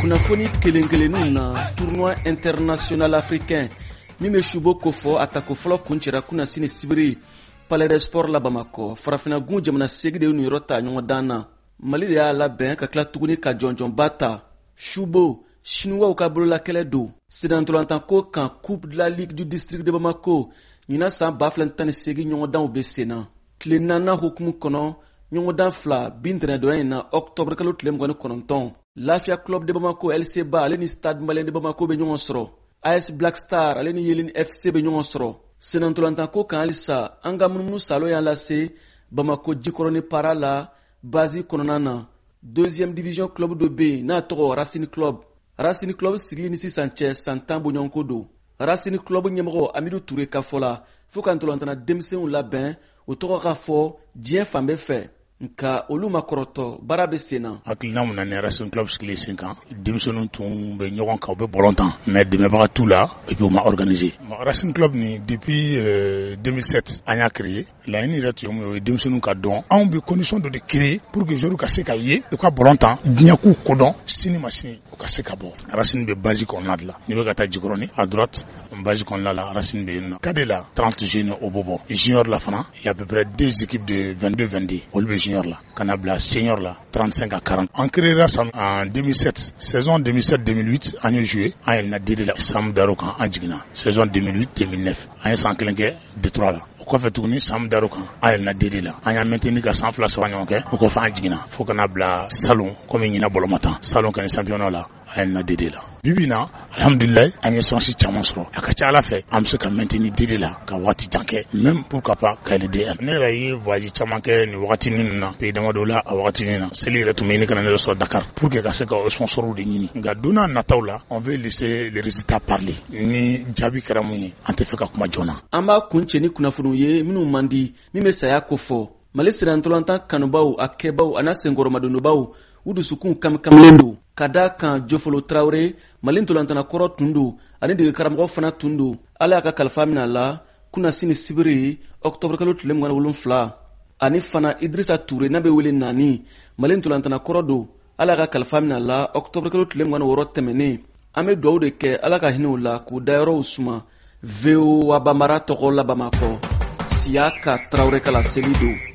Kunnafoni kelen kelenninw na, tournoi international africain min bɛ subo kofɔ, a tako fɔlɔ kuncɛra kunasini sibiri Palais des Sports la Bamakɔ. Farafinna gun jamana 8 de ye niyɔrɔ ta ɲɔgɔndan na. Mali de y'a labɛn ka tila tuguni ka jɔnjɔnba ta. Subo, Sinuwaw ka bololakɛlɛ don. Sennantolatanko kan, Coupe de la Ligue du district de Bamako ɲinan san 2018 ɲɔgɔndanw bɛ sen na. Tile naaninan hukumu kɔnɔ, ɲɔgɔndan fila bi ntɛnɛndonya in na, ɔktɔburu kalo tile 29, Lafiya Club de Bamako LCba ale ni Stade Malien de Bamako bɛ ɲɔgɔn sɔrɔ. AS Black Star ale ni Yelen FC bɛ ɲɔgɔn sɔrɔ. Sennantolatanko kan halisa, an ka munumunu salo y'an lase Bamako Jikɔrɔni Para la, base kɔnɔna na. Deuxième division club dɔ bɛ yen n'a tɔgɔ Racine Club. Racine Club sigili ni sisan cɛ, san 10 bɔɲɔgɔnko don. Racine Club ɲɛmɔgɔ Amidu Ture ka fɔ la, fo ka ntolantana denmisɛnw labɛn, o tɔgɔ ka fɔ diɲɛ fan bɛɛ fɛ, nka olu ma kɔrɔtɔ, baara bɛ sen na. Hakilina mun na ni Racine Club sigilen sen kan, denmisɛnninw tun bɛ ɲɔgɔn kan, u bɛ ballon tan, mais dɛmɛbaga t'u la et puis u ma organiser. Racine Club ni, depuis 2007 an y'a créé. Laɲini yɛrɛ tun ye mun ye? O ye denmisɛnninw ka dɔn. Anw bɛ condition dɔ de créer pour que joueurs ka se ka ye, u ka ballon tan, diɲɛ k'u kodɔn, sini ma sini u ka se ka bɔ. Racine bɛ base kɔnɔna de la. N'i bɛ ka taa Jikɔrɔni, à droite, base kɔnɔna la, Racine bɛ yen nɔ. Cadet la, 30 jeunes, o b'o bɔ. Junior la fana, il y a à peu près deux équipes de 22 22, olu bɛ junior la, ka na bila senior la, 35 à 40. An créera ça en 2007. Saison 2007 2008, an ye joué, an yɛlɛnna D2 la. San dar'o kan, an jiginna. Saison 2008 2009, an ye san kelen kɛ D3 la. O kɔfɛ tuguni, san dar'o kan, an yɛlɛnna D2 la. An y'a maintenir ka san 2 3 ɲɔgɔn kɛ. O kɔfɛ, an jiginna fo ka na bila salon, komi ɲinan bɔlɔma tan, salon kɛni championnat la, an yɛlɛnna D2 la. Bi bi na, alhamdulilayi, an ye chance caman sɔrɔ. A ka ca Ala fɛ, an bɛ se ka maintenir D2 la ka waati jan kɛ, même pourquoi pas ka yɛlɛ D1. Ne yɛrɛ ye voyage caman kɛ nin wagati ninnu na, pays damadɔ la. A wagati na, seli yɛrɛ tun bɛ ɲini ka na ne yɛrɛ sɔrɔ Dakar pour que ka se ka sponsors de ɲini. Nka don n'a nataw la, on veut laisser les résultats parler. Ni jaabi kɛra mun ye, an tɛ fɛ ka kuma joona. An b'a kuncɛ ni kunnafoniw ye minnu man di, min bɛ saya kofɔ. Mali sennantolatan kanubaw, a kɛbaw a n'a senkɔrɔmadonbaw, u dusukun kamikamilen don ka da kan. Jofolo Tarawele, Mali ntolantana kɔrɔ tun don ani dege karamɔgɔ fana tun don, Ala y'a ka kalifa minɛ a la kunasini sibiri, ɔktɔburu kalo tile 27. Ani fana Idirisa Ture, n'a bɛ wele Nani, Mali ntolantana kɔrɔ don, Ala y'a ka kalifa minɛ a la ɔktɔburu kalo tile 26 tɛmɛnen. An bɛ dugawu de kɛ, Ala ka hinɛ u la k'u dayɔrɔw suma. VOA Banbara tɔgɔ la Bamakɔ, Siyaka Tarawele ka laseli don.